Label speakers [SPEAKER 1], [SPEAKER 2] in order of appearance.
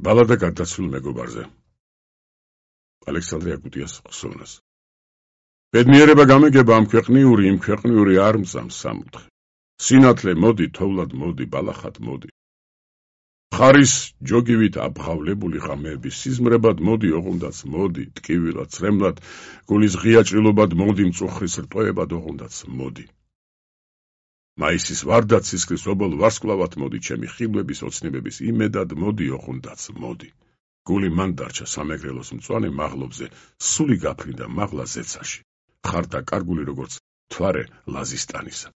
[SPEAKER 1] ბალადა გარდაცვლილ მეგობარზე. ალექსანდრე აკუტიას ხსოვნას. ბედნიერება გამიგება ამ ქვეყნიური, იმ ქვეყნიური არ მწამს სამუთხე. სინათლე მოდი, თოვლად მოდი, ბალახად მოდი. ხარის ჯოგივით აბღავლებული ღამეების სიზმრებად მოდი, ოღონდაც მოდი, ტკივილად, ცრემლად, გულის ღია ჭრილობად მოდი, მწუხრის რტოებად ოღონდაც მოდი. მაისის ვარდად სისხლის ობოლ ვარსკვლავად მოდი, ჩემი ხილვების ოცნებების იმედად მოდი, ოღონდაც მოდი. გული მან დარჩა სამეგრელოს მწვანე მაღლობზე, სული გაფრინდა მაღლა ზეცაში. ხარდა კარგული როგორც თვარე ლაზისტანისა.